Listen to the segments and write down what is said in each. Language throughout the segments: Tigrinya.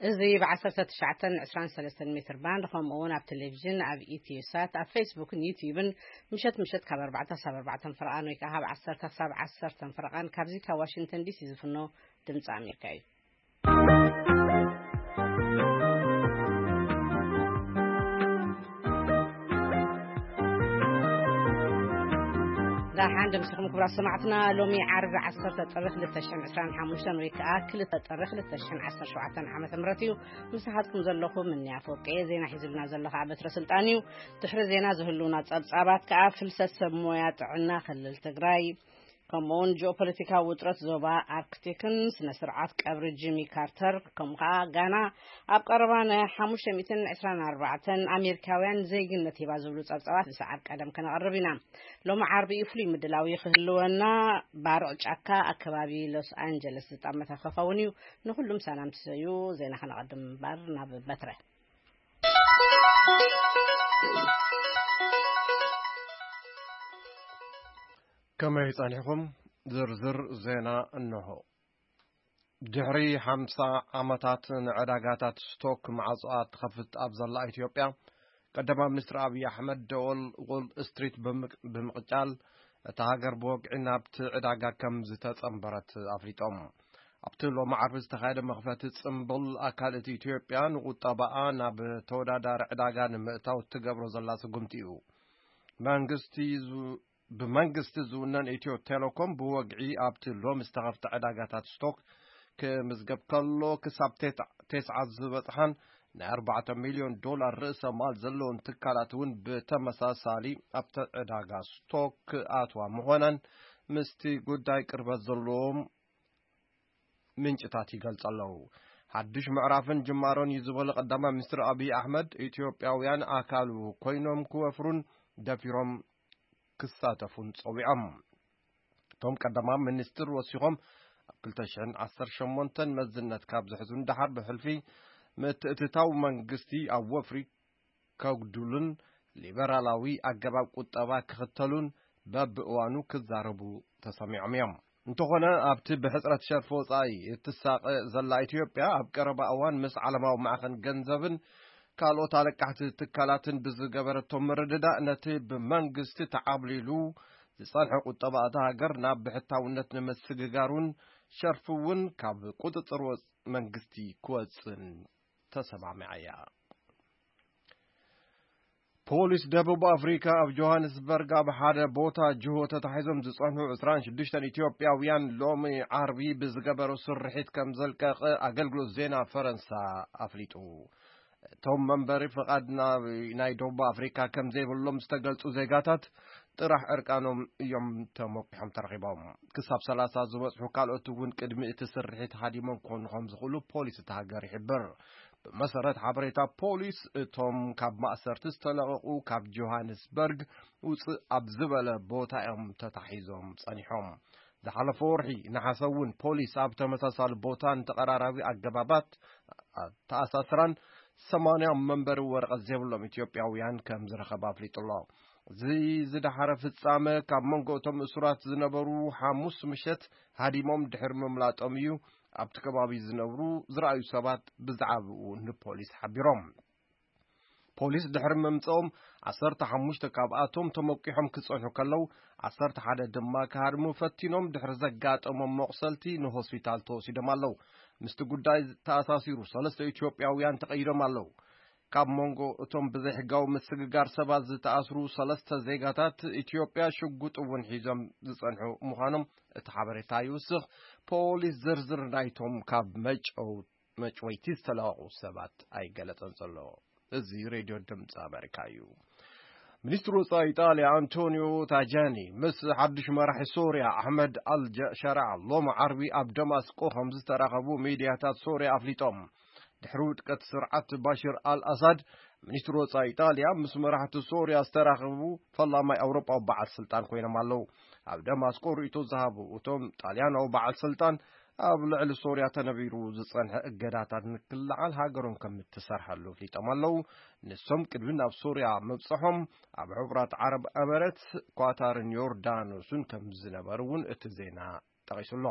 እዚ ብ ዓሰርተ ትሽዓተ ዕስራን ሰለስተን ሜትር ባንድ፣ ከምኡ እውን ኣብ ቴሌቪዥን፣ ኣብ ኢትዮ ሳት፣ ኣብ ፌስቡክን ዩትዩብን ምሸት ምሸት ካብ ኣርባዕተ ክሳብ ኣርባዕተ ፈረቓን ወይ ከዓ ካብ ዓሰርተ ክሳብ ዓሰርተ ፈረቓን ካብዚ ካብ ዋሽንግተን ዲሲ ዝፍኖ ድምፂ ኣሜሪካ እዩ። ዳሓን ደምሲኹም ክቡራት ሰማዕትና፣ ሎሚ ዓርቢ ዓሰርተ ጥሪ ክልተ ሽሕን ዕስራን ሓሙሽተን ወይ ከዓ ክልተ ጥሪ ክልተ ሽሕን ዓሰርተ ሸውዓተን ዓመተ ምህረት እዩ። ምሳሓትኩም ዘለኹ ምንያ ፎቄ። ዜና ሒዙልና ዘሎ ከዓ በትረ ስልጣን እዩ። ድሕሪ ዜና ዝህልውና ጸብጻባት ከዓ ፍልሰት ሰብ ሞያ ጥዕና ክልል ትግራይ፣ ከምኡውን ጂኦፖለቲካዊ ውጥረት ዞባ ኣርክቲክን ስነ ስርዓት ቀብሪ ጂሚ ካርተር፣ ከምኡ ከዓ ጋና ኣብ ቀረባ ን ሓሙሽተ ሚእትን ዕስራን ኣርባዕተን ኣሜሪካውያን ዜግነት ሂባ ዝብሉ ጸብጻባት ብሰዓብ ቀደም ከነቐርብ ኢና። ሎሚ ዓርቢ እዩ ፍሉይ ምድላው ክህልወና። ባርዕ ጫካ ኣከባቢ ሎስ ኣንጀለስ ዝጠመተ ክኸውን እዩ። ንኹሉም ሰላም ትሰዩ። ዜና ከነቐድም እምበር ናብ በትረ። ከመይ ጸኒሕኩም? ዝርዝር ዜና እንሆ። ድሕሪ ሓምሳ ዓመታት ንዕዳጋታት ስቶክ ማዕጾኣ ትኸፍት ኣብ ዘላ ኢትዮጵያ፣ ቀዳማይ ሚኒስትር ኣብይ ኣሕመድ ደወል ዎል ስትሪት ብምቅ-፣ ብምቕጫል፣ እታ ሃገር ብወግዒ ናብቲ ዕዳጋ ከም ዝተጸንበረት ኣፍሊጦም። ኣብቲ ሎሚ ዓርቢ ዝተኻየደ መኽፈቲ ጽምብል፣ ኣካል እቲ ኢትዮጵያ ንቁጠባኣ ናብ ተወዳዳሪ ዕዳጋ ንምእታው ትገብሮ ዘላ ስጉምቲ እዩ። መንግስቲ ዝ-፣ ብመንግስቲ ዝውነን ኢትዮ ቴሌኮም ብወግዒ ኣብቲ ሎሚ ዝተኸፍተ ዕዳጋታት ስቶክ ክምዝገብ ከሎ፣ ክሳብ ቴት-፣ ቴስዓ ዝበጽሓን ናይ ኣርባዕተ ሚልዮን ዶላር ርእሰ ማል ዘለዎን ትካላት እውን ብተመሳሳሊ ኣብቲ ዕዳጋ ስቶክ ክኣትዋ ምዃነን ምስቲ ጉዳይ ቅርበት ዘለዎም ምንጭታት ይገልጹ ኣለዉ። ሓድሽ ምዕራፍን ጅማሮን እዩ ዝበሉ ቀዳማይ ሚኒስትር ኣብይ ኣሕመድ፣ ኢትዮጵያውያን ኣካሉ ኮይኖም ክወፍሩን ደፊሮም ክሳተፉን ጸዊዖም። እቶም ቀዳማይ ሚኒስትር ወሲኾም፣ ኣብ ክልተ ሽሕን ዓሰርተ ሸሞንተን መዝነት ካብ ዝሕዙ ንደሓር ብሕልፊ ምትእትታው መንግስቲ ኣብ ወፍሪ ከጉድሉን ሊበራላዊ ኣገባብ ቁጠባ ክኽተሉን በብእዋኑ ክዛረቡ ተሰሚዖም እዮም። እንተኾነ፣ ኣብቲ ብሕጽረት ሸርፊ ወጻኢ እትሳቐ ዘላ ኢትዮጵያ፣ ኣብ ቀረባ እዋን ምስ ዓለማዊ ማዕኸን ገንዘብን ካልኦት ኣለቃሕቲ ትካላትን ብዝገበረቶ ምርድዳእ፣ ነቲ ብመንግስቲ ተዓብሊሉ ዝጸንሐ ቁጠባ እታ ሃገር ናብ ብሕታውነት ንምስግጋር እውን፣ ሸርፊ እውን ካብ ቁጽጽር ወጽ-፣ መንግስቲ ክወጽእን ተሰማሚዓ እያ። ፖሊስ ደቡብ ኣፍሪካ ኣብ ጆሃንስበርግ ኣብ ሓደ ቦታ ጅሆ ተታሒዞም ዝጸንሑ ዕስራን ሽዱሽተን ኢትዮጵያውያን ሎሚ ዓርቢ ብዝገበሮ ስርሒት ከም ዘልቀቐ ኣገልግሎት ዜና ፈረንሳ ኣፍሊጡ። እቶም መንበሪ ፍቓድ ናብ ናይ ደቡብ ኣፍሪካ ከም ዘይብሎም ዝተገልጹ ዜጋታት ጥራሕ ዕርቃኖም እዮም ተሞቂሖም ተረኺቦም። ክሳብ ሰላሳ ዝበጽሑ ካልኦት እውን ቅድሚ እቲ ስርሒት ሃዲሞም ክኾኑ ከም ዝኽእሉ ፖሊስ እቲ ሃገር ይሕብር። ብመሰረት ሓበሬታ ፖሊስ፣ እቶም ካብ ማእሰርቲ ዝተለቐቑ ካብ ጆሃንስበርግ ውፅእ ኣብ ዝበለ ቦታ እዮም ተታሒዞም ጸኒሖም። ዝሓለፈ ወርሒ ነሓሰ እውን ፖሊስ ኣብ ተመሳሳሊ ቦታን ተቐራራቢ ኣገባባት ኣተኣሳስራን ሰማንያ መንበሪ ወረቐት ዘይብሎም ኢትዮጵያውያን ከም ዝረኸበ ኣፍሊጡ ኣሎ። እዚ ዝደሓረ ፍጻመ፣ ካብ መንጎ እቶም እሱራት ዝነበሩ ሓሙስ ምሸት ሃዲሞም ድሕሪ ምምላጦም እዩ ኣብቲ ከባቢ ዝነብሩ ዝረኣዩ ሰባት ብዛዕባኡ ንፖሊስ ሓቢሮም። ፖሊስ ድሕሪ ምምጽኦም፣ ዓሰርተ ሓሙሽተ ካብኣቶም ተመቂሖም ክጸንሑ ከለዉ፣ ዓሰርተ ሓደ ድማ ክሃድሙ ፈቲኖም ድሕሪ ዘጋጠሞም መቑሰልቲ ንሆስፒታል ተወሲዶም ኣለዉ። ምስቲ ጉዳይ ተኣሳሲሩ ሰለስተ ኢትዮጵያውያን ተቐይዶም ኣለዉ። ካብ መንጎ እቶም ብዘይሕጋዊ ምስግጋር ሰባት ዝተኣስሩ ሰለስተ ዜጋታት ኢትዮጵያ ሽጉጥ እውን ሒዞም ዝጸንሑ ምዃኖም እቲ ሓበሬታ ይውስኽ። ፖሊስ ዝርዝር ናይቶም ካብ መጨው-፣ መጭወይቲ ዝተለቐቑ ሰባት ኣይገለጸን ዘሎ። እዚ ሬድዮ ድምፂ ኣሜሪካ እዩ። ሚኒስትሪ ወፃኢ ኢጣልያ ኣንቶኒዮ ታጃኒ ምስ ሓድሽ መራሒ ሶርያ ኣሕመድ ኣልሸራ ሎም ዓርቢ ኣብ ደማስቆ ከም ዝተራኸቡ ሚድያታት ሶርያ ኣፍሊጦም። ድሕሪ ውድቀት ስርዓት ባሽር ኣል ኣሳድ፣ ሚኒስትሪ ወፃኢ ኢጣልያ ምስ መራሕቲ ሶርያ ዝተራኸቡ ፈላማይ ኣውሮጳዊ በዓል ስልጣን ኮይኖም ኣለዉ። ኣብ ደማስቆ ርእይቶ ዝሃቡ እቶም ጣልያናዊ በዓል ስልጣን፣ ኣብ ልዕሊ ሶርያ ተነቢሩ ዝጸንሐ እገዳታት ንክልዓል ሃገሮም ከም እትሰርሐሉ ኣፍሊጦም ኣለዉ። ንሶም ቅድሚ ናብ ሶርያ ምብጽሖም ኣብ ሕቡራት ዓረብ ኤመሬትስ፣ ኳታርን ዮርዳኖስን ከም ዝነበሩ እውን እቲ ዜና ጠቒሱ ኣሎ።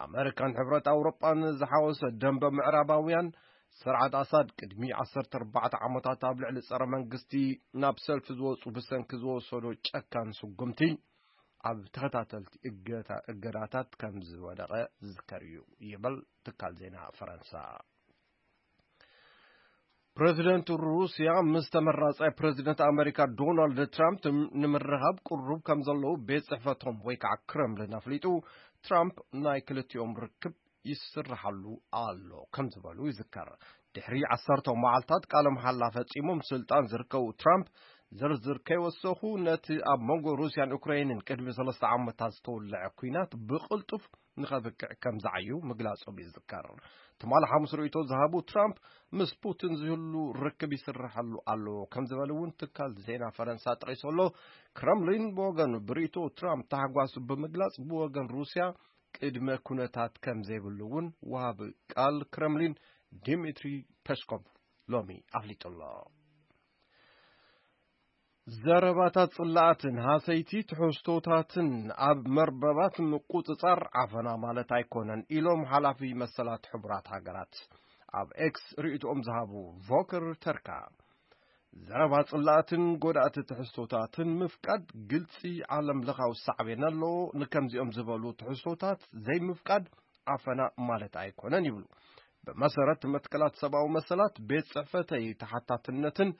ኣመሪካን ሕብረት ኣውሮጳን ዝሓወሰ ደንበ ምዕራባውያን ስርዓት ኣሳድ ቅድሚ ዓሰርተ ኣርባዕተ ዓመታት ኣብ ልዕሊ ጸረ መንግስቲ ናብ ሰልፊ ዝወጹ ብሰንኪ ዝወሰዶ ጨካን ስጉምቲ ኣብ ተኸታተልቲ እገታ-፣ እገዳታት ከም ዝወደቐ ዝዝከር እዩ ይብል ትካል ዜና ፈረንሳ። ፕረዚደንት ሩስያ ምስ ተመራጻይ ፕረዚደንት ኣመሪካ ዶናልድ ትራምፕ ንምርኻብ ቅሩብ ከም ዘለዉ ቤት ጽሕፈቶም ወይ ከዓ ክረምሊን ኣፍሊጡ። ትራምፕ ናይ ክልቲኦም ርክብ ይስርሓሉ ኣሎ ከም ዝበሉ ይዝከር። ድሕሪ ዓሰርተ መዓልታት ቃለ መሓላ ፈጺሞም ስልጣን ዝርከቡ ትራምፕ፣ ዝርዝር ከይወሰኹ ነቲ ኣብ መንጎ ሩስያን ዩክሬንን ቅድሚ ሰለስተ ዓመታት ዝተወልዐ ኲናት ብቕልጡፍ ንኸብቅዕ ከም ዝዓዩ ምግላጾም ይዝከር። ትማሊ ሓሙስ ርእይቶ ዝሃቡ ትራምፕ፣ ምስ ፑቲን ዝህሉ ርክብ ይስርሓሉ ኣሎ ከም ዝበሉ እውን ትካል ዜና ፈረንሳ ጠቒሱ ኣሎ። ክረምሊን ብወገኑ ብርእይቶ ትራምፕ ታሕጓሱ ብምግላጽ፣ ብወገን ሩስያ ቅድመ ኩነታት ከም ዘይብሉ እውን ወሃቢ ቃል ክረምሊን ዲሚትሪ ፐስኮቭ ሎሚ ኣፍሊጡ ኣሎ። ዘረባታት ጽላኣትን ሃሰይቲ ትሕዝቶታትን ኣብ መርበባት ምቁጽጻር ዓፈና ማለት ኣይኮነን ኢሎም ሓላፊ መሰላት ሕቡራት ሃገራት ኣብ ኤክስ ርእይቶኦም ዝሃቡ ቮከር ተርካ። ዘረባ ጽላኣትን ጎዳእቲ ትሕዝቶታትን ምፍቃድ ግልጺ ዓለም ለኻዊ ሳዕቤን ኣለዎ። ንከምዚኦም ዝበሉ ትሕዝቶታት ዘይምፍቃድ ዓፈና ማለት ኣይኮነን ይብሉ። ብመሰረት መትከላት ሰብኣዊ መሰላት ቤት ጽሕፈተይ ተሓታትነትን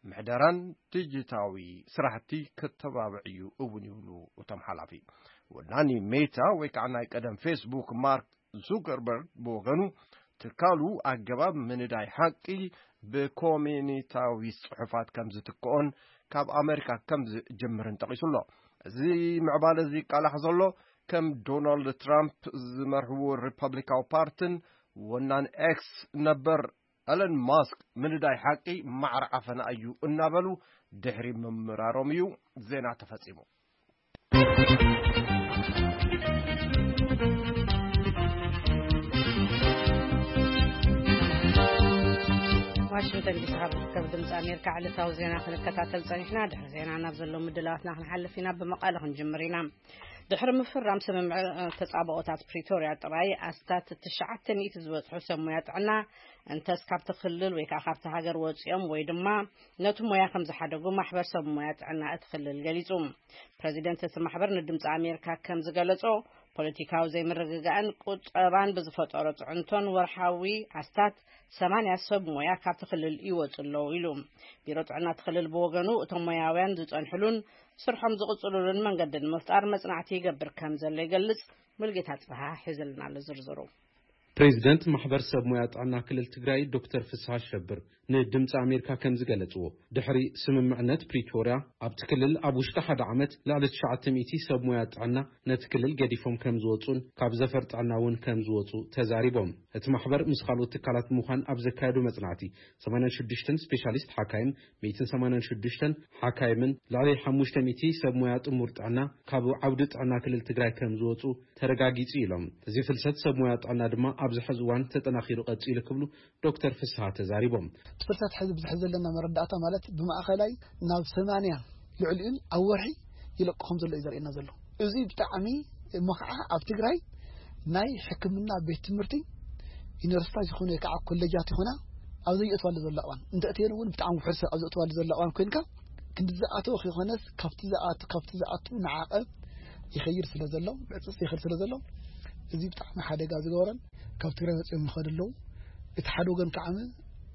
ምሕደራን ዲጂታዊ ስራሕቲ ከተባብዕ እዩ እውን ይብሉ እቶም ሓላፊ። ወናኒ ሜታ ወይ ከዓ ናይ ቀደም ፌስቡክ ማርክ ዙከርበርግ ብወገኑ ትካሉ ኣገባብ ምንዳይ ሓቂ ብኮሚኒታዊ ጽሑፋት ከም ዝትክኦን ካብ ኣመሪካ ከም ዝጅምርን ጠቒሱ ኣሎ። እዚ ምዕባለ እዚ ይቃላሕ ዘሎ ከም ዶናልድ ትራምፕ ዝመርሕዎ ሪፐብሊካዊ ፓርትን ወናን ኤክስ ነበር ኤለን ማስክ ምንዳይ ሓቂ ማዕረ ዓፈና እዩ እናበሉ ድሕሪ ምምራሮም እዩ ዜና ተፈጺሙ። ዋሽንግተን ዲሲ ካብ ዝርከብ ድምፂ ኣሜሪካ ዕለታዊ ዜና ክንከታተል ፀኒሕና። ድሕሪ ዜና ናብ ዘለዉ ምድላዋትና ክንሓልፍ ኢና። ብመቐለ ክንጅምር ኢና። ድሕሪ ምፍራም ስምምዕ ተፃብኦታት ፕሪቶርያ ጥራይ ኣስታት ትሽዓተ ሚእቲ ዝበፅሑ ሰብ ሞያ ጥዕና እንተስ ካብቲ ክልል ወይ ከዓ ካብቲ ሃገር ወፂኦም ወይ ድማ ነቲ ሞያ ከም ዝሓደጉ ማሕበር ሰብ ሞያ ጥዕና እቲ ክልል ገሊፁ። ፕረዚደንት እቲ ማሕበር ንድምፂ ኣሜሪካ ከም ዝገለፆ፣ ፖለቲካዊ ዘይምርግጋእን ቁጠባን ብዝፈጠሮ ፅዕንቶን ወርሓዊ ኣስታት ሰማንያ ሰብ ሞያ ካብቲ ክልል ይወፁ ኣለዉ ኢሉ። ቢሮ ጥዕና እቲ ክልል ብወገኑ እቶም ሞያውያን ዝፀንሕሉን ስርሖም ዝቕፅሉሉን መንገዲ ንምፍጣር መፅናዕቲ ይገብር ከም ዘሎ ይገልፅ። ሙልጌታ ጽብሃ ሒዝልና ኣሎ ዝርዝሩ። ፕሬዚደንት ማሕበር ሰብ ሞያ ጥዕና ክልል ትግራይ ዶክተር ፍስሃ ሸብር ንድምፂ ኣሜሪካ ከም ዝገለፅዎ፣ ድሕሪ ስምምዕነት ፕሪቶርያ ኣብቲ ክልል ኣብ ውሽጢ ሓደ ዓመት ልዕሊ ትሽዓተ ሚእቲ ሰብ ሞያ ጥዕና ነቲ ክልል ገዲፎም ከም ዝወፁን ካብ ዘፈር ጥዕና እውን ከም ዝወፁ ተዛሪቦም። እቲ ማሕበር ምስ ካልኦት ትካላት ብምዃን ኣብ ዘካየዶ መፅናዕቲ ሰማንያን ሽዱሽተን ስፔሻሊስት ሓካይም፣ ሚእትን ሰማንያን ሽዱሽተን ሓካይምን ልዕሊ ሓሙሽተ ሚእቲ ሰብ ሞያ ጥሙር ጥዕና ካብ ዓውዲ ጥዕና ክልል ትግራይ ከም ዝወፁ ተረጋጊፁ ኢሎም። እዚ ፍልሰት ሰብ ሞያ ጥዕና ድማ ኣብዚ ሕዚ እዋን ተጠናኺሩ ቀፂሉ ክብሉ ዶክተር ፍስሃ ተዛሪቦም። እቲ ፍልሰት ሕዚ ብዝሕ ዘለና መረዳእታ ማለት ብማእኸላይ ናብ ሰማንያ ልዕሊኡን ኣብ ወርሒ ይለቁ ከም ዘሎ እዩ ዘርእየና ዘሎ። እዚ ብጣዕሚ እሞ ከዓ ኣብ ትግራይ ናይ ሕክምና ቤት ትምህርቲ ዩኒቨርሲታት ይኹን ወይ ከዓ ኮሌጃት ይኹና ኣብ ዘየእትዋሉ ዘሎ እዋን እንተእትየን እውን ብጣዕሚ ውሕድ ሰብ ኣብ ዘእትዋሉ ዘሎ እዋን ኮይንካ ክንዲ ዝኣተወ ከይኮነስ ካብቲ ዝኣቱ ካብቲ ዝኣቱ ንዓቐብ ይኸይድ ስለ ዘሎ ብዕፅፅ ይኸይድ ስለ ዘሎ እዚ ብጣዕሚ ሓደጋ ዝገበረን ካብ ትግራይ ወፂኦም ይኸዱ ኣለዉ። እቲ ሓደ ወገን ከዓ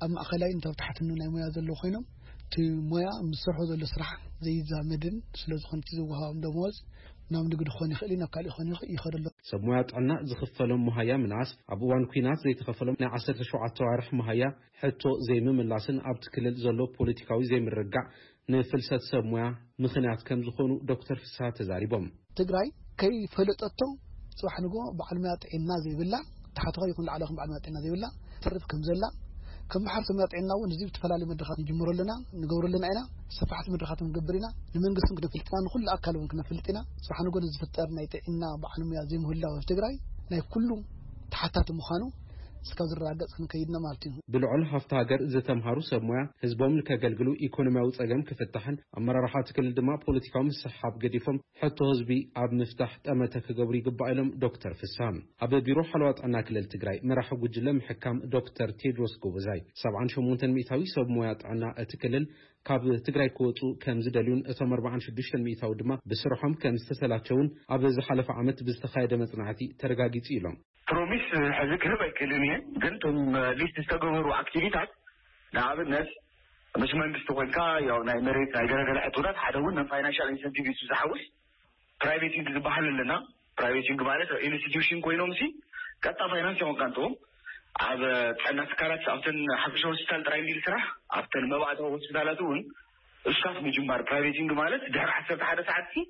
ኣብ ማእኸላይን ኣብ ታሕትን ናይ ሞያ ዘለዉ ኮይኖም እቲ ሞያ ምስ ዝሰርሖ ዘሎ ስራሕ ዘይዛመድን ስለ ዝኾነ እቲ ዝወሃቦም ደመወዝ ናብ ንግዲ ክኾን ይኽእል እዩ ናብ ካሊእ ክኾን ይኽእል ይኸዱ ኣለዉ። ሰብ ሞያ ጥዕና ዝኽፈሎም መሃያ ምንኣስ፣ ኣብ እዋን ኲናት ዘይተኸፈሎም ናይ ዓሰርተ ሸውዓተ ኣዋርሕ መሃያ ሕቶ ዘይምምላስን ኣብቲ ክልል ዘሎ ፖለቲካዊ ዘይምርግጋእ ንፍልሰት ሰብ ሞያ ምኽንያት ከም ዝኾኑ ዶክተር ፍስሃ ተዛሪቦም። ትግራይ ከይፈለጠቶ ፅባሕ ንጎ በዓል ሞያ ጥዕና ዘይብላ ታሕተዋይ ይኹን ላዕለዋይ ይኹን በዓል ሞያ ጥዕና ዘይብላ ትርፍ ከም ዘላ ከም ማሕበር ሰብ ሞያ ጥዕና እውን እዚ ዝተፈላለዩ መድረኻት ንጅምሮ ኣለና ንገብሮ ኣለና ኢና። ሰፋሕቲ መድረኻት ንገብር ኢና። ንመንግስቲ እውን ክነፍልጥ ኢና ንኩሉ ኣካል እውን ክነፍልጥ ኢና። ፅባሕ ንጎ ንዝፍጠር ናይ ጥዕና በዓል ሞያ ዘይምህላው ኣብ ትግራይ ናይ ኩሉ ተሓታቲ ምዃኑ እስካብ ዝረጋገጽ ክንከይድ ኢና ማለት እዩ። ብልዑል ሃፍቲ ሃገር ዝተምሃሩ ሰብ ሞያ ህዝቦም ንከገልግሉ ኢኮኖሚያዊ ጸገም ክፍታሕን ኣመራርሓ እቲ ክልል ድማ ፖለቲካዊ ምስሕሓብ ገዲፎም ሕቶ ህዝቢ ኣብ ምፍታሕ ጠመተ ክገብሩ ይግባእ ኢሎም ዶክተር ፍስሃ። ኣብ ቢሮ ሓለዋ ጥዕና ክልል ትግራይ መራሒ ጉጅለ ምሕካም ዶክተር ቴድሮስ ጎበዛይ ሰብዓን ሸሞንተን ሚእታዊ ሰብ ሞያ ጥዕና እቲ ክልል ካብ ትግራይ ክወፁ ከም ዝደልዩን እቶም ኣርባዓን ሽዱሽተን ሚእታዊ ድማ ብስርሖም ከም ዝተሰላቸውን ኣብ ዝሓለፈ ዓመት ብዝተኻየደ መጽናዕቲ ተረጋጊጹ ኢሎም። ፕሮሚስ ሕዚ ክህብ ኣይክእልን እየ፣ ግን እቶም ሊስት ዝተገበሩ ኣክቲቪታት ንኣብነት ምስ መንግስቲ ኮይንካ ያው ናይ መሬት ናይ ገለገለ ሕቶታት ሓደ እውን ናይ ፋይናንሻል ኢንሰንቲቭ እዩ ዝሓውስ። ፕራይቬቲንግ ዝበሃል ኣለና። ፕራይቬቲንግ ማለት ኢንስቲትዩሽን ኮይኖም ሲ ቀጥታ ፋይናንስ ይኾንካ እንትዎም ኣብ ጥዕና ትካላት ኣብተን ሓፈሻ ሆስፒታል ጥራይ እንዲል ስራሕ ኣብተን መባእታዊ ሆስፒታላት እውን እስካፍ ምጅማር ፕራይቬቲንግ ማለት ድሕሪ ዓሰርተ ሓደ ሰዓት ሲ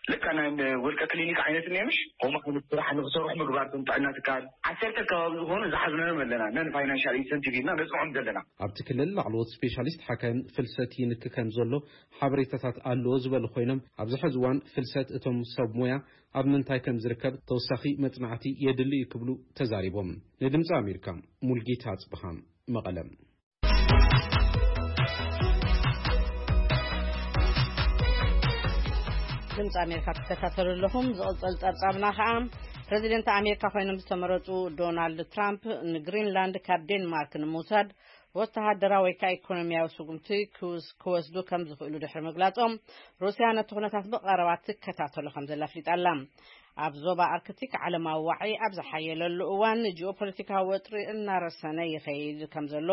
ልካ ናይ ውልቀ ክሊኒክ ዓይነት እኒአ ምሽ ከምኡ ዓይነት ስራሕ ንክሰርሑ ምግባር ቶም ጥዕና ትካል ዓሰርተ ከባቢ ዝኾኑ ዝሓዝናዮም ኣለና ነን ፋይናንሻል ኢንሰንቲቭ ኢልና ነፅንዖም ዘለና። ኣብቲ ክልል ላዕለዎት ስፔሻሊስት ሓካይም ፍልሰት ይንኪ ከም ዘሎ ሓበሬታታት ኣለዎ ዝበሉ ኮይኖም ኣብዚ ሕዚ እዋን ፍልሰት እቶም ሰብ ሞያ ኣብ ምንታይ ከም ዝርከብ ተወሳኺ መጽናዕቲ የድሊ እዩ ክብሉ ተዛሪቦም። ንድምፂ ኣሜሪካ ሙልጌታ ኣጽብሃ መቐለም። ድምፂ ኣሜሪካ ትከታተሉ ኣለኹም። ዝቕፅል ፀብፃብና ከዓ ፕሬዚደንት ኣሜሪካ ኮይኖም ዝተመረፁ ዶናልድ ትራምፕ ንግሪንላንድ ካብ ዴንማርክ ንምውሳድ ወተሃደራዊ ወይ ከዓ ኢኮኖሚያዊ ስጉምቲ ክወስዱ ከም ዝኽእሉ ድሕሪ ምግላፆም ሩስያ ነቲ ኩነታት ብቐረባ ትከታተሎ ከም ዘላ ኣፍሊጣ ኣላ። ኣብ ዞባ ኣርክቲክ ዓለማዊ ዋዒ ኣብ ዝሓየለሉ እዋን ጂኦፖለቲካዊ ወጥሪ እናረሰነ ይኸይድ ከም ዘሎ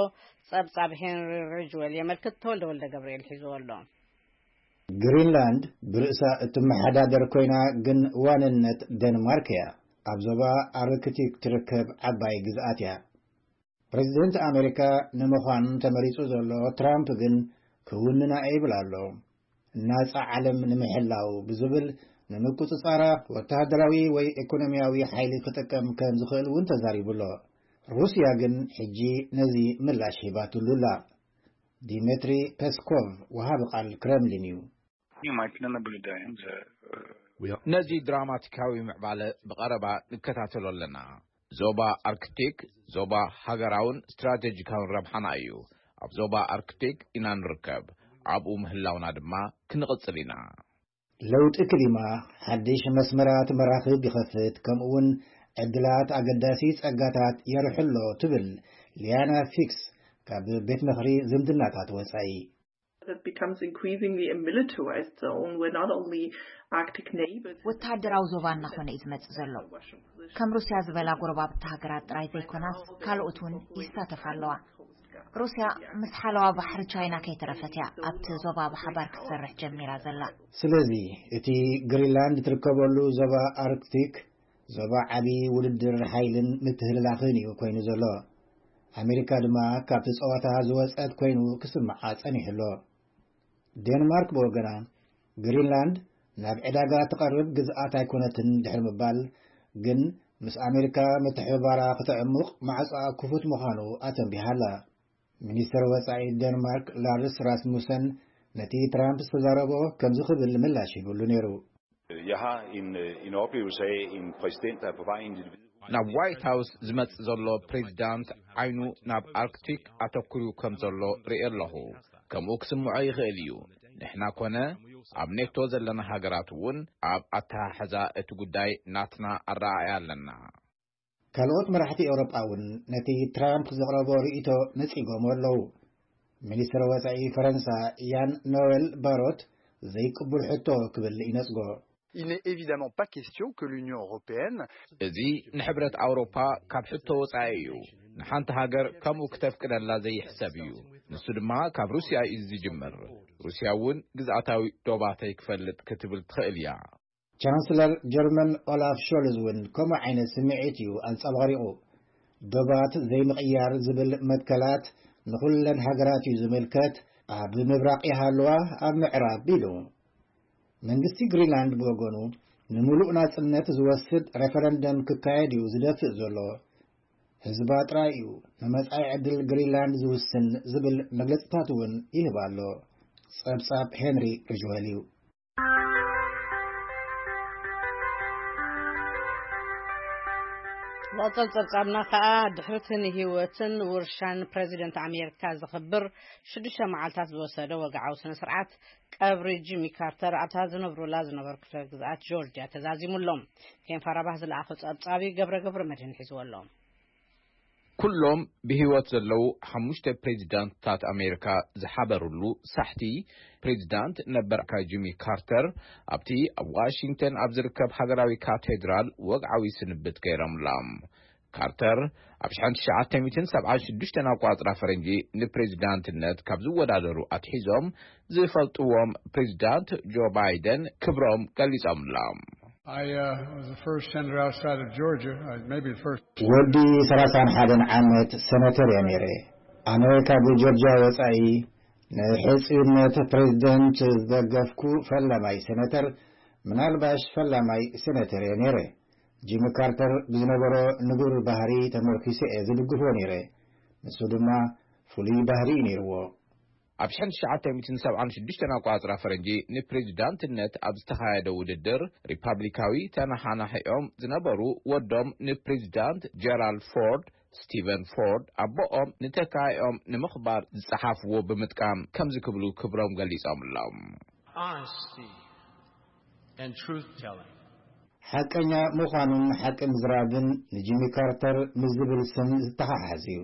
ጸብጻብ ሄንሪ ሪጅዌል የመልክት። ተወልደ ወልደ ገብርኤል ሒዝዎ ኣሎ። ግሪንላንድ ብርእሳ እትመሓዳደር ኮይና ግን ዋንነት ደንማርክ እያ። ኣብ ዞባ ኣርክቲክ ትርከብ ዓባይ ግዝኣት እያ። ፕሬዚደንት ኣሜሪካ ንምዃን ተመሪጹ ዘሎ ትራምፕ ግን ክውንና ይብል ኣሎ። ናጻ ዓለም ንምሕላው ብዝብል ንምቁጽጻራ ወተሃደራዊ ወይ ኢኮኖሚያዊ ሓይሊ ክጥቀም ከም ዝኽእል እውን ተዛሪቡ ኣሎ። ሩስያ ግን ሕጂ ነዚ ምላሽ ሂባትሉ ኣላ። ዲሜትሪ ፔስኮቭ ወሃቢ ቃል ክረምሊን እዩ። ነዚ ድራማቲካዊ ምዕባለ ብቐረባ ንከታተሎ ኣለና። ዞባ ኣርክቲክ ዞባ ሃገራውን ስትራቴጂካውን ረብሓና እዩ። ኣብ ዞባ ኣርክቲክ ኢና ንርከብ። ኣብኡ ምህላውና ድማ ክንቕጽል ኢና። ለውጢ ክሊማ ሓድሽ መስመራት መራኽብ ይኸፍት፣ ከምኡውን ዕድላት ኣገዳሲ ጸጋታት የርሕሎ ትብል ሊያና ፊክስ ካብ ቤት ምኽሪ ዝምድናታት ወጻኢ። It becomes increasingly a militarized zone where not only Arctic neighbors ወተሃደራዊ ዞባ እናኾነ እዩ ዝመጽእ ዘሎ። ከም ሩስያ ዝበላ ጎረባብቲ ሃገራት ጥራይ ዘይኮናስ ካልኦት እውን ይሳተፋ ኣለዋ። ሩስያ ምስ ሓለዋ ባሕሪ ቻይና ከይተረፈት እያ ኣብቲ ዞባ ብሓባር ክትሰርሕ ጀሚራ ዘላ። ስለዚ እቲ ግሪንላንድ ትርከበሉ ዞባ ኣርክቲክ ዞባ ዓቢ ውድድር ሓይልን ምትህልላኽን እዩ ኮይኑ ዘሎ። ኣሜሪካ ድማ ካብቲ ጸዋታ ዝወጸት ኮይኑ ክስምዓ ጸኒሑ ኣሎ። ዴንማርክ ብወገና ግሪንላንድ ናብ ዕዳጋ ትቐርብ ግዝኣት ኣይኮነትን ድሕሪ ምባል ግን ምስ ኣሜሪካ ምትሕብባራ ክተዕሙቕ ማዕጻኣ ክፉት ምዃኑ ኣተንቢሃ ኣላ። ሚኒስትር ወጻኢ ዴንማርክ ላርስ ራስሙሰን ነቲ ትራምፕ ዝተዛረቦ ከምዚ ክብል ምላሽ ሂብሉ ነይሩ። Jeg har en, øh, en oplevelse af en præsident, der er på vej ind i det hvide hus. ናብ ዋይት ሃውስ ዝመጽእ ዘሎ ፕሬዚዳንት ዓይኑ ናብ ኣርክቲክ ኣተኩሩ ከም ዘሎ ርኢ ኣለኹ። ከምኡ ክስምዖ ይኽእል እዩ። ንሕና ኮነ ኣብ ኔቶ ዘለና ሃገራት እውን ኣብ ኣተሓሕዛ እቲ ጉዳይ ናትና ኣረኣእያ ኣለና። ካልኦት መራሕቲ ኤውሮጳ እውን ነቲ ትራምፕ ዘቕረቦ ርእይቶ ነጺጎሞ ኣለዉ። ሚኒስትር ወጻኢ ፈረንሳ ያን ኖዌል ባሮት ዘይቅቡል ሕቶ ክብል ይነጽጎ። Il n'est évidemment pas question que l'Union européenne እዚ ንሕብረት ኣውሮፓ ካብ ሕቶ ወጻኢ እዩ። ንሓንቲ ሃገር ከምኡ ክተፍቅደላ ዘይሕሰብ እዩ። ንሱ ድማ ካብ ሩስያ እዩ ዝጅምር። ሩስያ እውን ግዝኣታዊ ዶባተይ ክፈልጥ ክትብል ትኽእል እያ። ቻንስለር ጀርመን ኦላፍ ሾልዝ እውን ከምኡ ዓይነት ስምዒት እዩ ኣንጸባሪቑ። ዶባት ዘይምቕያር ዝብል መትከላት ንኹለን ሃገራት እዩ ዝምልከት፣ ኣብ ምብራቕ ይሃልዋ ኣብ ምዕራብ ኢሉ። መንግስቲ ግሪንላንድ ብወገኑ ንምሉእ ናጽነት ዝወስድ ሬፈረንደም ክካየድ እዩ ዝደፍእ ዘሎ። ህዝባ ጥራይ እዩ ንመጻኢ ዕድል ግሪንላንድ ዝውስን ዝብል መግለጽታት እውን ይህብ ኣሎ። ጸብጻብ ሄንሪ ሪጅዌል እዩ። መቐጸል ጸብጻብና ከኣ ድሕሪ እቲ ንህይወትን ውርሻን ፕረዚደንት ኣሜሪካ ዘኽብር ሽዱሽተ መዓልታት ዝወሰደ ወግዓዊ ስነ ስርዓት ቀብሪ ጂሚ ካርተር ኣብታ ዝነብሩላ ዝነበሩ ክፍለ ግዝኣት ጆርጅያ ተዛዚሙ ኣሎ። ኬን ፋራባህ ዝለኣኾ ጸብጻብ እዩ፣ ገብረ ገብረ መድህን ሒዝዎ ኣሎ። ኩሎም ብህይወት ዘለዉ ሓሙሽተ ፕሬዚዳንትታት ኣሜሪካ ዝሓበሩሉ ሳሕቲ፣ ፕሬዚዳንት ነበር ጂሚ ካርተር ኣብቲ ኣብ ዋሽንግተን ኣብ ዝርከብ ሃገራዊ ካቴድራል ወግዓዊ ስንብት ገይሮምሎም። ካርተር ኣብ ሽሕን ትሽዓተ ሚእትን ሰብዓን ሽዱሽተን ኣቋጽራ ፈረንጂ ንፕሬዚዳንትነት ካብ ዝወዳደሩ ኣትሒዞም ዝፈልጥዎም ፕሬዚዳንት ጆ ባይደን ክብሮም ገሊጾምሎም። I uh, was the first senator outside of Georgia, uh, maybe the first. ወዲ ሰላሳን ሓደን ዓመት ሰነተር እየ ነይረ። ኣነ ካብ ጆርጅያ ወጻኢ ንሕጽዩነት ፕሬዚደንት ዝደገፍኩ ፈላማይ ሰነተር፣ ምናልባሽ ፈላማይ ሰነተር እየ ነይረ። ጂሚ ካርተር ብዝነበሮ ንቡር ባህሪ ተመርኪሰ እየ ዝድግፎ ነይረ። ንሱ ድማ ፍሉይ ባህሪ እዩ ነይርዎ። ኣብ ሽሕን ትሽዓተ ሚእትን ሰብዓን ሽዱሽተን ኣቋጽራ ፈረንጂ ንፕሬዚዳንትነት ኣብ ዝተኻየደ ውድድር ሪፓብሊካዊ ተነሓናሒኦም ዝነበሩ ወዶም ንፕሬዚዳንት ጀራልድ ፎርድ፣ ስቲቨን ፎርድ፣ ኣቦኦም ንተካኢኦም ንምኽባር ዝጸሓፍዎ ብምጥቃም ከምዚ ክብሉ ክብሮም ገሊጾምሎም። Honesty and truth telling. ሓቀኛ ምዃኑን ሓቂ ምዝራብን ንጂሚ ካርተር ምስ ዝብል ስም ዝተሓሓዝ እዩ።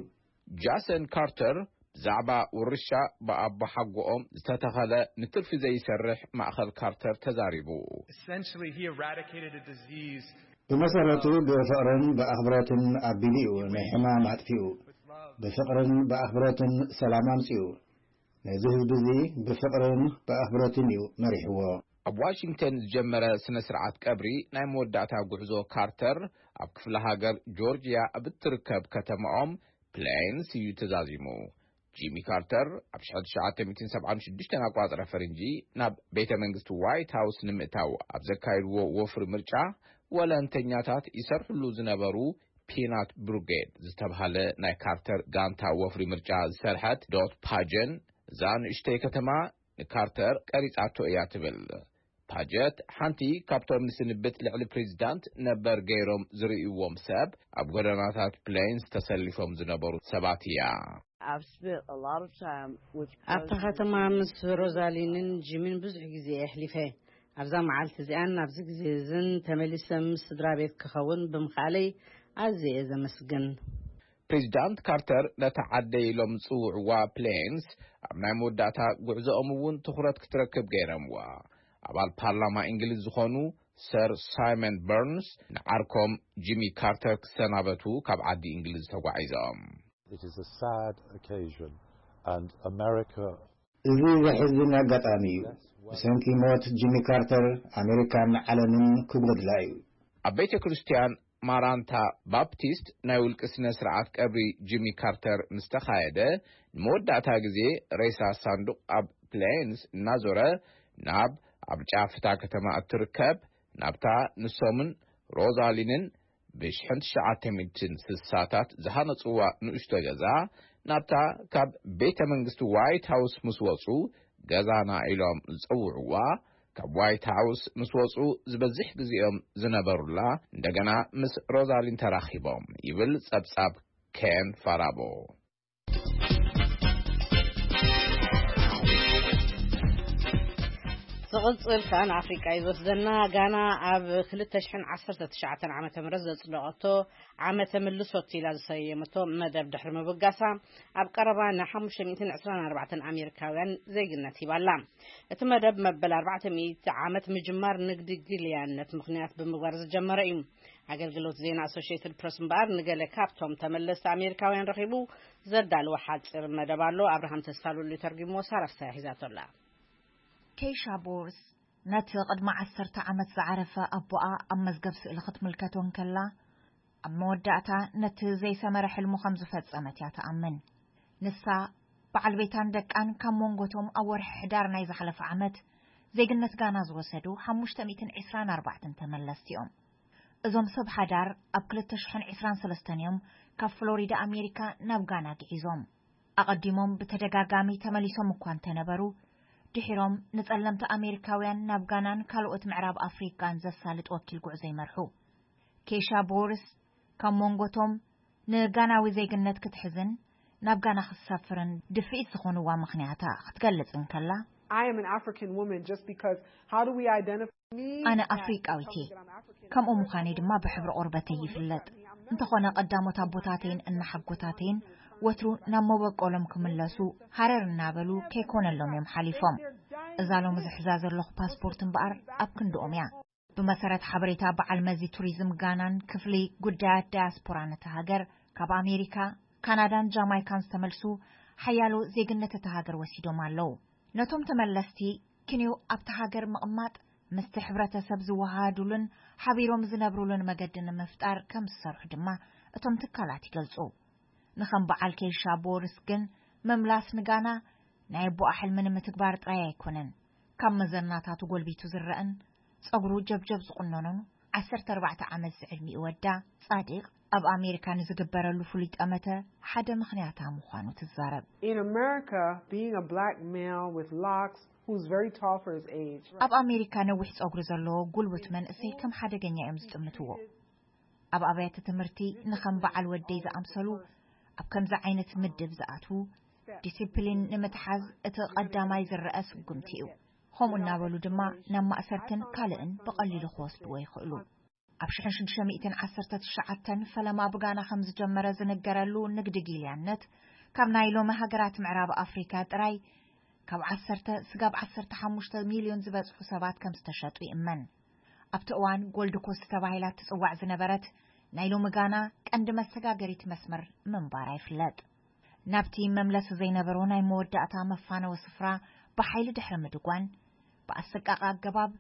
ጃሰን ካርተር ብዛዕባ ውርሻ ብኣቦሓጎኦም ዝተተኸለ ንትርፊ ዘይሰርሕ ማእኸል ካርተር ተዛሪቡ። Essentially, he eradicated a disease. ብመሰረቱ ብፍቕርን ብኣኽብሮትን ኣቢሉ እዩ ናይ ሕማም ኣጥፊኡ። ብፍቕርን ብኣኽብሮትን ሰላም ኣምጺኡ። ነዚ ህዝቢ እዚ ብፍቕርን ብኣኽብሮትን እዩ መሪሕዎ። ኣብ ዋሽንግተን ዝጀመረ ስነ ስርዓት ቀብሪ ናይ መወዳእታ ጉዕዞ ካርተር ኣብ ክፍለ ሃገር ጆርጅያ ኣብ እትርከብ ከተማኦም ፕሌንስ እዩ ተዛዚሙ። ጂሚ ካርተር ኣብ ሽሕን ትሽዓተ ሚእትን ሰብዓን ሽዱሽተን ኣቋጽረ ፈረንጂ ናብ ቤተ መንግስቲ ዋይት ሃውስ ንምእታው ኣብ ዘካየድዎ ወፍሪ ምርጫ፣ ወለንተኛታት ይሰርሕሉ ዝነበሩ ፒናት ብሩጌድ ዝተብሃለ ናይ ካርተር ጋንታ ወፍሪ ምርጫ ዝሰርሐት ዶት ፓጀን፣ እዛ ንእሽተይ ከተማ ንካርተር ቀሪጻቶ እያ ትብል። ፓጀት ሓንቲ ካብቶም ንስንብት ልዕሊ ፕሬዚዳንት ነበር ገይሮም ዝርእይዎም ሰብ፣ ኣብ ጎደናታት ፕሌንስ ተሰሊፎም ዝነበሩ ሰባት እያ። I've spent a lot of time with ኣብታ ከተማ ምስ ሮዛሊንን ጂሚን ብዙሕ ግዜ የሕሊፈ። ኣብዛ መዓልቲ እዚኣን ኣብዚ ግዜ እዝን ተመሊሰ ምስ ስድራ ቤት ክኸውን ብምኽኣለይ ኣዝየ እየ ዘመስግን። ፕሬዚዳንት ካርተር ነታ ዓደይ ኢሎም ዝጽውዕዋ ፕሌንስ ኣብ ናይ መወዳእታ ጉዕዞኦም እውን ትኹረት ክትረክብ ገይሮምዋ። ኣባል ፓርላማ እንግሊዝ ዝኾኑ ሰር ሳይመን በርንስ ንዓርኮም ጂሚ ካርተር ክሰናበቱ ካብ ዓዲ እንግሊዝ ተጓዒዞም። It is a sad occasion, and America እዚ ዘሕዝን ኣጋጣሚ እዩ። ብሰንኪ ሞት ጂሚ ካርተር ኣሜሪካን ዓለምን ክጎድላ እዩ። ኣብ ቤተ ክርስቲያን ማራንታ ባፕቲስት ናይ ውልቂ ስነ ስርዓት ቀብሪ ጂሚ ካርተር ምስ ተኻየደ፣ ንመወዳእታ ግዜ ሬሳ ሳንዱቕ ኣብ ፕሌንስ እናዞረ ናብ ኣብ ጫፍ እታ ከተማ እትርከብ ናብታ ንሶምን ሮዛሊንን ብሽሕን ትሽዓተ ሚእትን ስሳታት ዝሃነጽዋ ንእሽቶ ገዛ፣ ናብታ ካብ ቤተ መንግስቲ ዋይት ሃውስ ምስ ወጹ ገዛና ኢሎም ዝጸውዕዋ፣ ካብ ዋይት ሃውስ ምስ ወጹ ዝበዝሕ ግዜኦም ዝነበሩላ፣ እንደገና ምስ ሮዛሊን ተራኺቦም ይብል ጸብጻብ ኬን ፋራቦ። ዝቕጽል ከኣ ንኣፍሪቃ እዩ ዝወስደና። ጋና ኣብ ክልተ ሽሕን ዓሰርተ ትሽዓተን ዓመተ ምህረት ዘጽደቐቶ ዓመተ ምልሶት ኢላ ዝሰየመቶ መደብ ድሕሪ ምብጋሳ፣ ኣብ ቀረባ ንሓሙሽተ ሚእትን ዕስራን ኣርባዕተን ኣሜሪካውያን ዜግነት ሂባላ። እቲ መደብ መበል ኣርባዕተ ሚእቲ ዓመት ምጅማር ንግዲ ግልያነት ምኽንያት ብምግባር ዝጀመረ እዩ። ኣገልግሎት ዜና ኣሶሽየትድ ፕረስ እምበኣር ንገለ ካብቶም ተመለስቲ ኣሜሪካውያን ረኺቡ ዘዳለወ ሓጺር መደብ ኣሎ። ኣብርሃም ተስፋሉሉ ተርጉምዎ፣ ሳራ ፍስሃ ሒዛቶ ኣላ። ኬሻ ቦርስ ነቲ ቅድሚ ዓሰርተ ዓመት ዝዓረፈ ኣቦኣ ኣብ መዝገብ ስእሊ ክትምልከቶ እንከላ፣ ኣብ መወዳእታ ነቲ ዘይሰመረ ሕልሙ ከም ዝፈጸመት እያ ትኣምን። ንሳ፣ በዓል ቤታን ደቃን ካብ መንጎቶም ኣብ ወርሒ ሕዳር ናይ ዝሓለፈ ዓመት ዜግነት ጋና ዝወሰዱ ሓሙሽተ ሚእትን ዕስራን ኣርባዕተን ተመለስቲ እዮም። እዞም ሰብ ሓዳር ኣብ ክልተ ሽሕን ዕስራን ሰለስተን እዮም ካብ ፍሎሪዳ ኣሜሪካ ናብ ጋና ግዒዞም። ኣቐዲሞም ብተደጋጋሚ ተመሊሶም እኳ እንተነበሩ፣ ድሒሮም ንጸለምቲ ኣሜሪካውያን ናብ ጋናን ካልኦት ምዕራብ ኣፍሪቃን ዘሳልጥ ወኪል ጉዕዞ ይመርሑ። ኬሻ ቦርስ ካብ መንጎቶም ንጋናዊ ዜግነት ክትሕዝን ናብ ጋና ክትሰፍርን ድፍኢት ዝኾንዋ ምኽንያታ ክትገልጽ እንከላ፣ I am an African woman just because how do we identify me? ኣነ ኣፍሪቃዊት እየ። ከምኡ ምዃነይ ድማ ብሕብሪ ቆርበተይ ይፍለጥ። እንተኾነ ቀዳሞት ኣቦታተይን እናሓጎታተይን ወትሩ ናብ መበቆሎም ክምለሱ ሃረር እናበሉ ከይኮነሎም እዮም ሓሊፎም። እዛ ሎሚ ዝሕዛ ዘለኹ ፓስፖርት እምበኣር ኣብ ክንድኦም እያ። ብመሰረት ሓበሬታ በዓል መዚ ቱሪዝም ጋናን ክፍሊ ጉዳያት ዳያስፖራን እታ ሃገር፣ ካብ ኣሜሪካ፣ ካናዳን ጃማይካን ዝተመልሱ ሓያሎ ዜግነት እታ ሃገር ወሲዶም ኣለዉ። ነቶም ተመለስቲ ክንዮ ኣብቲ ሃገር ምቕማጥ ምስቲ ሕብረተሰብ ዝወሃሃዱሉን ሓቢሮም ዝነብሩሉን መገዲ ንምፍጣር ከም ዝሰርሑ ድማ እቶም ትካላት ይገልጹ። ንኸም በዓል ኬይሻ ቦርስ ግን ምምላስ ንጋና ናይ ኣቦኣ ሕልሚ ንምትግባር ጥራይ ኣይኮነን። ካብ መዘናታቱ ጎልቢቱ ዝረአን ጸጉሩ ጀብጀብ ዝቑነኖን ዓሰርተ ኣርባዕተ ዓመት ዝዕድሚኡ ወዳ ጻድቕ ኣብ ኣሜሪካ ንዝግበረሉ ፍሉይ ጠመተ ሓደ ምኽንያታ ምዃኑ ትዛረብ። In America, being a black male with locks who's very tall for his age. ኣብ ኣሜሪካ ነዊሕ ጸጉሪ ዘለዎ ጉልቡት መንእሰይ ከም ሓደገኛ እዮም ዝጥምትዎ። ኣብ ኣብያተ ትምህርቲ ንኸም በዓል ወደይ ዝኣምሰሉ ኣብ ከምዚ ዓይነት ምድብ ዝኣትዉ ዲሲፕሊን ንምትሓዝ እቲ ቀዳማይ ዝረአ ስጉምቲ እዩ። ከምኡ እናበሉ ድማ ናብ ማእሰርትን ካልእን ብቐሊሉ ክወስድዎ ይኽእሉ። ኣብ ሽሕን ሽዱሽተ ሚእትን ዓሰርተ ትሽዓተን ፈለማ ብጋና ከም ዝጀመረ ዝንገረሉ ንግዲ ጊልያነት ካብ ናይ ሎሚ ሃገራት ምዕራብ ኣፍሪካ ጥራይ ካብ ዓሰርተ ስጋብ ዓሰርተ ሓሙሽተ ሚልዮን ዝበጽሑ ሰባት ከም ዝተሸጡ ይእመን። ኣብቲ እዋን ጎልድ ኮስት ተባሂላ ትጽዋዕ ዝነበረት ናይ ሎሚ ጋና ቀንዲ መሰጋገሪት መስመር ምንባራ ይፍለጥ። ናብቲ መምለሲ ዘይነበሮ ናይ መወዳእታ መፋነዊ ስፍራ ብሓይሊ ድሕሪ ምድጓን ብኣሰቃቂ ኣገባብ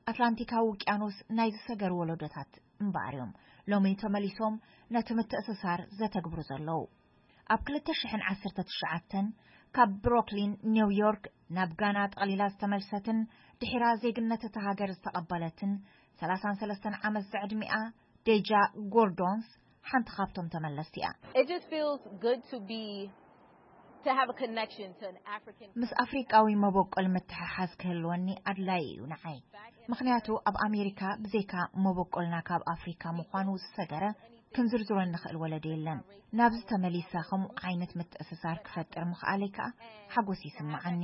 ኣትላንቲካዊ ውቅያኖስ ናይ ዝሰገሩ ወለዶታት እምበኣር እዮም ሎሚ ተመሊሶም ነቲ ምትእስሳር ዘተግብሩ ዘለዉ። ኣብ ክልተ ሽሕን ዓሰርተ ትሽዓተን ካብ ብሮክሊን ኒውዮርክ ናብ ጋና ጠቕሊላ ዝተመልሰትን ድሒራ ዜግነት እታ ሃገር ዝተቐበለትን ሰላሳን ሰለስተን ዓመት ዝዕድሚኣ ዴጃ ጎርዶንስ ሓንቲ ካብቶም ተመለስቲ እያ። It just feels good to be to have a connection to an African ምስ ኣፍሪቃዊ መበቆል ምትሕሓዝ ክህልወኒ ኣድላይ እዩ ንዓይ። ምኽንያቱ ኣብ ኣሜሪካ ብዘይካ መበቆልና ካብ ኣፍሪካ ምዃኑ ዝሰገረ ክንዝርዝሮ እንኽእል ወለዶ የለን። ናብዚ ተመሊሳ ከምኡ ዓይነት ምትእስሳር ክፈጥር ምኽኣለይ ከኣ ሓጎስ ይስምዓኒ።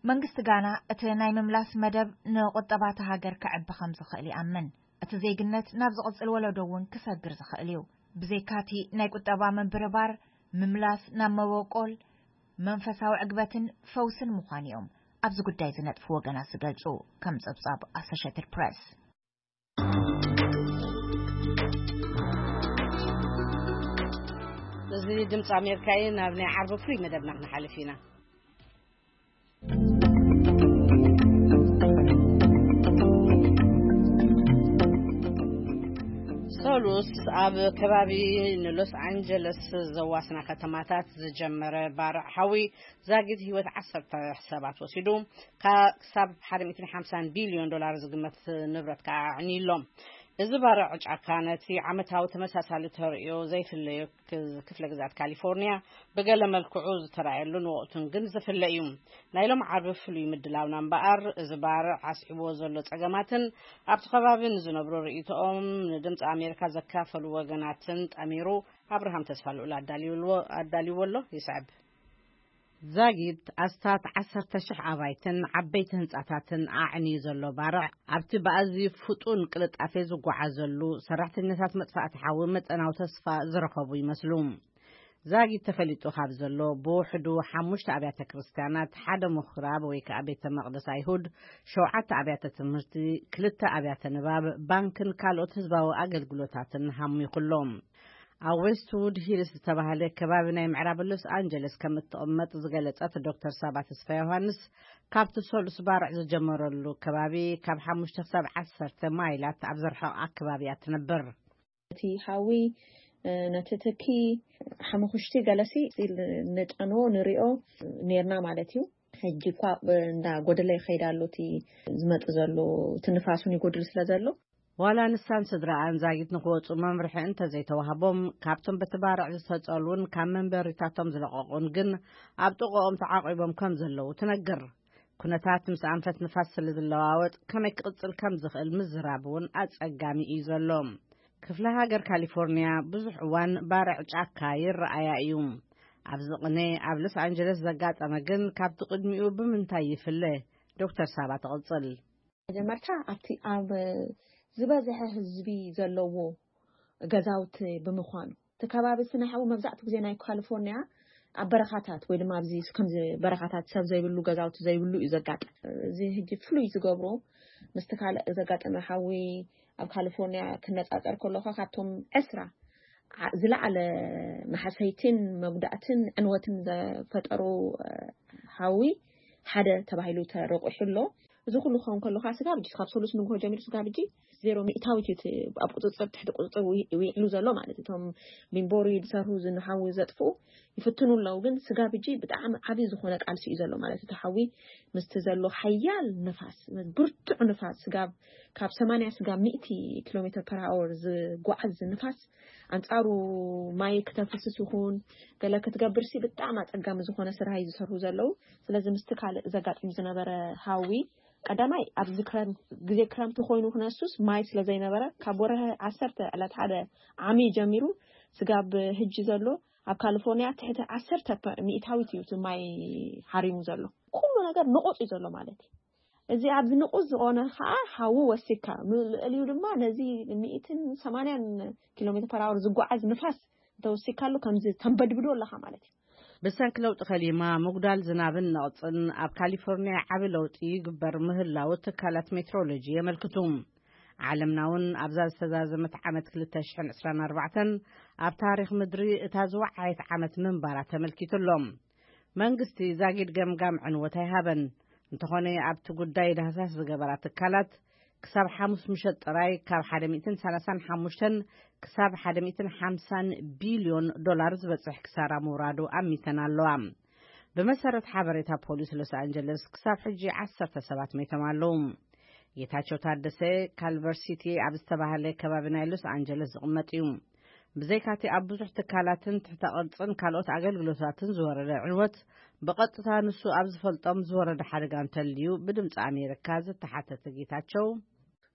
መንግስቲ ጋና እቲ ናይ ምምላስ መደብ ንቁጠባ እታ ሃገር ከዕቢ ከም ዝኽእል ይኣምን። እቲ ዜግነት ናብ ዝቕጽል ወለዶ እውን ክሰግር ዝኽእል እዩ። ብዘይካቲ ናይ ቁጠባ ምብርባር፣ ምምላስ ናብ መበቆል፣ መንፈሳዊ ዕግበትን ፈውስን ምዃን እዮም ኣብዚ ጉዳይ ዝነጥፉ ወገናት ዝገልጹ፣ ከም ጸብጻብ ኣሶሼትድ ፕረስ። እዚ ድምፂ ኣሜሪካ እዩ። ናብ ናይ ዓርቢ ፍሉይ መደብና ክንሓልፍ ኢና። ሰሉስ ኣብ ከባቢ ንሎስ ኣንጀለስ ዘዋስና ከተማታት ዝጀመረ ባርዕ ሓዊ ዛጊት ህይወት ዓሰርተ ሰባት ወሲዱ፣ ካ- ክሳብ ሓደ ሚእትን ሓምሳን ቢልዮን ዶላር ዝግመት ንብረት ከዓ ኣዕንዩ ኣሎ። እዚ ባርዕ ጫካ ነቲ ዓመታዊ ተመሳሳሊ ተርእዮ ዘይፍለዮ ክ- ክፍለ ግዝኣት ካሊፎርኒያ ብገለ መልክዑ ዝተራእየሉን ወቕቱን ግን ዝፍለ እዩ። ናይ ሎም ዓርቢ ፍሉይ ምድላውና እምበኣር፣ እዚ ባርዕ ኣስዒብዎ ዘሎ ጸገማትን ኣብቲ ከባቢ ንዝነብሩ ርእይቶኦም ንድምፂ ኣሜሪካ ዘካፈሉ ወገናትን ጠሚሩ ኣብርሃም ተስፋ ልኡል ኣዳልይዎ ኣሎ። ይስዕብ። ዛጊት ኣስታት ዓሰርተ ሽሕ ኣባይትን ዓበይቲ ህንጻታትን ኣዕንዩ ዘሎ ባርዕ፣ ኣብቲ ብኣዝዩ ፍጡን ቅልጣፌ ዝጓዓዘሉ ሰራሕተኛታት መጥፋእቲ ሓዊ መጠናዊ ተስፋ ዝረኸቡ ይመስሉ። ዛጊት ተፈሊጡ ካብ ዘሎ ብውሕዱ ሓሙሽተ ኣብያተ ክርስቲያናት፣ ሓደ ምኹራብ ወይ ከኣ ቤተ መቕደስ ኣይሁድ፣ ሸውዓተ ኣብያተ ትምህርቲ፣ ክልተ ኣብያተ ንባብ፣ ባንክን ካልኦት ህዝባዊ ኣገልግሎታትን ሃሚኹ ኣሎ። ኣብ ዌስትውድ ሂልስ ዝተባህለ ከባቢ ናይ ምዕራብ ሎስ ኣንጀለስ ከም እትቕመጥ ዝገለጸት ዶክተር ሳባ ተስፋ ዮሃንስ፣ ካብቲ ሰሉስ ባርዕ ዝጀመረሉ ከባቢ ካብ ሓሙሽተ ክሳብ ዓሰርተ ማይላት ኣብ ዝርሕቕ ኣከባቢ እያ ትነብር። እቲ ሓዊ፣ እ፣ ነቲ ትኪ ሓሙኽሽቲ ገለሲ ንጠንዎ ንሪኦ ኔርና ማለት እዩ። ሕጂ እኳ እንዳ ጎደለ ይኸይድ ኣሎ፣ እቲ ዝመጽእ ዘሎ፣ እቲ ንፋስ እውን ይጎድል ስለ ዘሎ። ዋላ ንሳን ስድራኣን ዛጊት ንክወጹ መምርሒ እንተዘይተዋህቦም፣ ካብቶም በቲ ባርዕ ዝተጸልዉን ካብ መንበሪታቶም ዝለቐቑን ግን ኣብ ጥቕኦም ተዓቒቦም ከም ዘለዉ ትነግር። ኩነታት ምስ ኣንፈት ንፋስ ስለ ዝለዋወጥ፣ ከመይ ክቕጽል ከም ዝኽእል ምዝራብ እውን ኣጸጋሚ እዩ ዘሎ። ክፍለ ሃገር ካሊፎርኒያ ብዙሕ እዋን ባርዕ ጫካ ይረኣያ እዩ። ኣብዚ ቅነ ኣብ ሎስ ኣንጀለስ ዘጋጠመ ግን ካብቲ ቅድሚኡ ብምንታይ ይፍለ? ዶክተር ሳባ ትቕጽል። መጀመርታ ኣብቲ ኣብ ዝበዝሐ ህዝቢ ዘለዎ ገዛውቲ ብምዃኑ፣ እቲ ከባቢ ስነ ሓዊ መብዛሕትኡ ግዜ ናይ ካሊፎርኒያ ኣብ በረኻታት ወይ ድማ ኣብዚ ከምዚ በረኻታት ሰብ ዘይብሉ ገዛውቲ ዘይብሉ እዩ ዘጋጥም። እዚ ሕጂ ፍሉይ ዝገብሮ ምስቲ ካልእ ዘጋጠመ ሓዊ ኣብ ካሊፎርኒያ ክነጻጸር ከለኻ ካብቶም ዕስራ ዓ- ዝለዓለ ማሕሰይትን መጉዳእትን ዕንወትን ዘፈጠሩ፣ እ፣ ሓዊ ሓደ ተባሂሉ ተረቑሑ ኣሎ። እዚ ኩሉ ክኸውን ከሎ ከዓ ስጋብ ሕጂ ካብ ሰሉስ ንግሆ ጀሚሩ ስጋብ ሕጂ ዜሮ ሚእታዊት እዩ እቲ ኣብ ቁፅፅር ትሕቲ ቁፅፅር ዊ- ዊዕሉ ዘሎ ማለት እዩ። እቶም ሚንቦሪ ዝሰርሁ ዝንሓዊ ዘጥፍኡ ይፍትኑ ኣለዉ፣ ግን ስጋብ ሕጂ ብጣዕሚ ዓብዪ ዝኾነ ቃልሲ እዩ ዘሎ ማለት እዩ። እቲ ሓዊ ምስቲ ዘሎ ሓያል ንፋስ፣ ብርቱዕ ንፋስ ስጋብ ካብ ሰማንያ ስጋብ ሚእቲ ኪሎ ሜትር ፐር ኣወር ዝጓዓዝ ንፋስ ኣንጻሩ ማይ ክተፍስስ ይኹን ገለ ክትገብር ሲ ብጣዕሚ ኣጸጋሚ ዝኾነ ስራሕ እዩ ዝሰርሁ ዘለዉ። ስለዚ ምስቲ ካልእ ዘጋጥም ዝነበረ ሃዊ ቀዳማይ ኣብዚ ክረምት ግዜ ክረምቲ ኮይኑ ክነሱስ ማይ ስለ ዘይነበረ ካብ ወርሒ ዓሰርተ ዕለት ሓደ ዓሚ ጀሚሩ ስጋብ ህጂ ዘሎ ኣብ ካሊፎርኒያ ትሕቲ ዓሰርተ ሚእታዊት እዩ እቲ ማይ ሓሪሙ ዘሎ። ኩሉ ነገር ንቑጽ እዩ ዘሎ ማለት እዩ። እዚ ኣብዚ ንቑጽ ዝኾነ ከዓ ሓዊ ወሲካ፣ ልዕሊኡ ድማ ነዚ ሚእትን ሰማንያን ኪሎ ሜትር ፐር ኣወር ዝጓዓዝ ንፋስ እንተወሲካሉ ከምዚ ተንበድብዶ ኣለኻ ማለት እዩ። ብሰንኪ ለውጢ ከሊማ ምጉዳል ዝናብን ነቕጽን ኣብ ካሊፎርኒያ ዓቢ ለውጢ ይግበር ምህላው ትካላት ሜትሮሎጂ የመልክቱ። ዓለምና እውን ኣብዛ ዝተዛዘመት ዓመት ክልተ ሽሕን ዕስራን ኣርባዕተን ኣብ ታሪኽ ምድሪ እታ ዝወዓየት ዓመት ምንባራ ተመልኪቱ ኣሎ። መንግስቲ ዛጊድ ገምጋም ዕንወት ኣይሃበን። እንተኾነ ኣብቲ ጉዳይ ዳህሳስ ዝገበራ ትካላት ክሳብ ሓሙስ ምሸት ጥራይ ካብ ሓደ ሚእትን ሰላሳን ሓሙሽተን ክሳብ ሓደ ሚእትን ሓምሳን ቢልዮን ዶላር ዝበጽሕ ክሳራ ምውራዱ ኣሚተን ኣለዋ። ብመሰረት ሓበሬታ ፖሊስ ሎስ ኣንጀለስ ክሳብ ሕጂ ዓሰርተ ሰባት ሞይቶም ኣለዉ። ጌታቸው ታደሰ ካልቨር ሲቲ ኣብ ዝተባህለ ከባቢ ናይ ሎስ ኣንጀለስ ዝቕመጥ እዩ። ብዘይካቲ ኣብ ብዙሕ ትካላትን ትሕተ ቅርጽን ካልኦት ኣገልግሎታትን ዝወረደ ዕንወት ብቐጥታ ንሱ ኣብ ዝፈልጦም ዝወረደ ሓደጋ እንተልዩ ብድምፂ ኣሜሪካ ዝተሓተተ ጌታቸው፣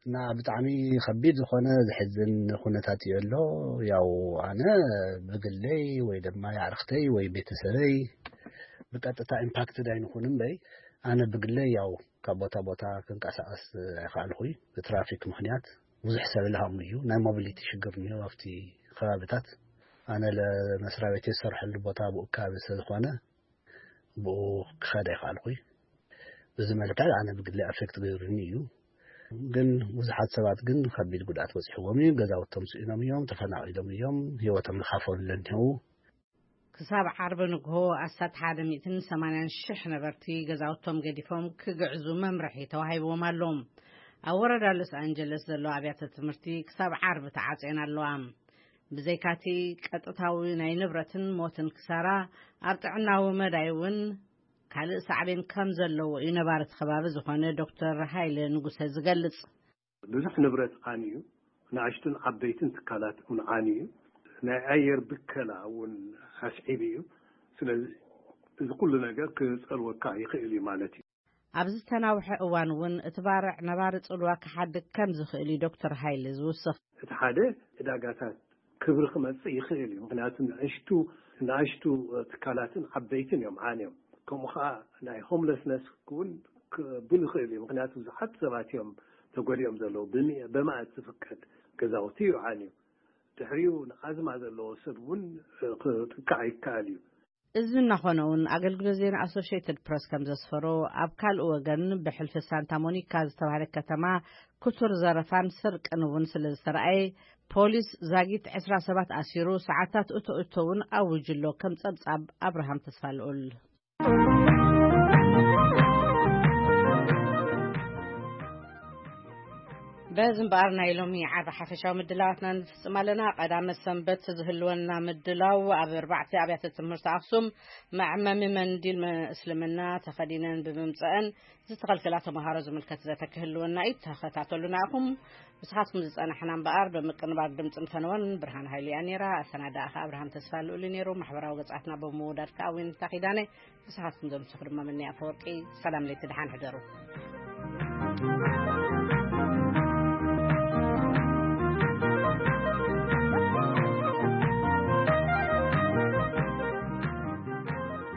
እና ብጣዕሚ ከቢድ ዝኾነ ዘሕዝን ኩነታት እዩ ኣሎ። ያው ኣነ ብግለይ ወይ ድማ የዕርክተይ ወይ ቤተሰበይ ብቀጥታ ኢምፓክትድ ኣይንኹን እምበይ፣ ኣነ ብግለይ ያው ካብ ቦታ ቦታ ክንቀሳቀስ ኣይከኣልኩይ። ብትራፊክ ምኽንያት ብዙሕ ሰብ ልሃሙ እዩ። ናይ ሞቢሊቲ ሽግር እኒኦ ኣብቲ ከባብታት። ኣነ ለመስሪያ ቤት ዝሰርሐሉ ቦታ ብኡ ከባቢ ስለ ዝኾነ ብኡ ክኸድ ኣይከኣልኩይ። በዚ መልክዕ ኣነ ብግለይ ኣፌክት ገይሩኒ እዩ። ግን ብዙሓት ሰባት ግን ከቢድ ጉድኣት በፂሕዎም እዩ። ገዛውቶም ስኢኖም እዮም፣ ተፈናቒሎም እዮም፣ ህይወቶም ዝሓፈሉ ኣለዉ። ክሳብ ዓርቢ ንግሆ ኣስታት ሓደ ሚእትን ሰማንያን ሽሕ ነበርቲ ገዛውቶም ገዲፎም ክግዕዙ መምርሒ ተዋሂብዎም ኣሎ። ኣብ ወረዳ ሎስ ኣንጀለስ ዘለዋ ኣብያተ ትምህርቲ ክሳብ ዓርቢ ተዓጽየን ኣለዋ። ብዘይካቲ ቀጥታዊ ናይ ንብረትን ሞትን ክሳራ፣ ኣብ ጥዕናዊ መዳይ እውን ካልእ ሳዕቤን ከም ዘለዎ እዩ ነባሪ እቲ ከባቢ ዝኾነ ዶክተር ሃይለ ንጉሰ ዝገልጽ። ብዙሕ ንብረት ዓንዩ፣ ንኣሽቱን ዓበይትን ትካላት እውን ዓንዩ፣ ናይ ኣየር ብከላ እውን ኣስዒቡ እዩ። ስለዚ እዚ ኩሉ ነገር ክጸልወካ ይኽእል እዩ ማለት እዩ። ኣብ ዝተናውሐ እዋን እውን እቲ ባርዕ ነባሪ ጽልዋ ክሓድግ ከም ዝኽእል እዩ ዶክተር ሃይለ ዝውስኽ። እቲ ሓደ ዕዳጋታት ክብሪ ክመጽእ ይኽእል እዩ። ምኽንያቱ ንኣሽቱ ንኣሽቱ ትካላትን ዓበይትን እዮም ዓንዮም። ከምኡ ኸዓ ናይ ሆምለስነስ እውን ክብል ይኽእል እዩ። ምኽንያቱ ብዙሓት ሰባት እዮም ተጎዲኦም ዘለዉ። ብሚ- በማእት ዝፍቀድ ገዛውቲ እዩ ዓንዩ። ድሕሪኡ ንኣዝማ ዘለዎ ሰብ እውን ክጥቃዕ ይከኣል እዩ። እዚ እናኾነ እውን ኣገልግሎት ዜና ኣሶሽየትድ ፕረስ ከም ዘስፈሮ፣ ኣብ ካልእ ወገን ብሕልፊ ሳንታ ሞኒካ ዝተባህለ ከተማ ክቱር ዘረፋን ስርቅን እውን ስለ ዝተረኣየ፣ ፖሊስ ዛጊት ዕስራ ሰባት ኣሲሩ ሰዓታት እቶ እቶ እውን ኣዊጁ ኣሎ። ከም ጸብጻብ ኣብርሃም ተስፋ ልኡል። በዚ እምበኣር ናይ ሎሚ ዓርቢ ሓፈሻዊ ምድላዋትና ንፍጽም ኣለና። ቀዳመ ሰንበት ዝህልወና ምድላው ኣብ ኣርባዕተ ኣብያተ ትምህርቲ ኣኽሱም መዐመሚ መንዲል መ- እስልምና ተኸዲነን ብምምጸአን ዝተኸልከላ ተምሃሮ ዝምልከት ዘተ ክህልወና እዩ። ተኸታተሉና ኢኹም። ንስኻትኩም ዝጸናሕና እምበኣር ብምቅንባር ድምጽን ፈነወን ብርሃን ሃይሉ እያ ነይራ። ኣሰናዳእኻ ኣብርሃም ተስፋ ልኡል ነይሩ። ማሕበራዊ ገጻትና ብምውዳድ ከኣ ዊንታ ኪዳነ። ንስኻትኩም ዘምስኹ ድማ ምንያ ኣፈወርቂ። ሰላም ለይቲ ደሓን ሕደሩ።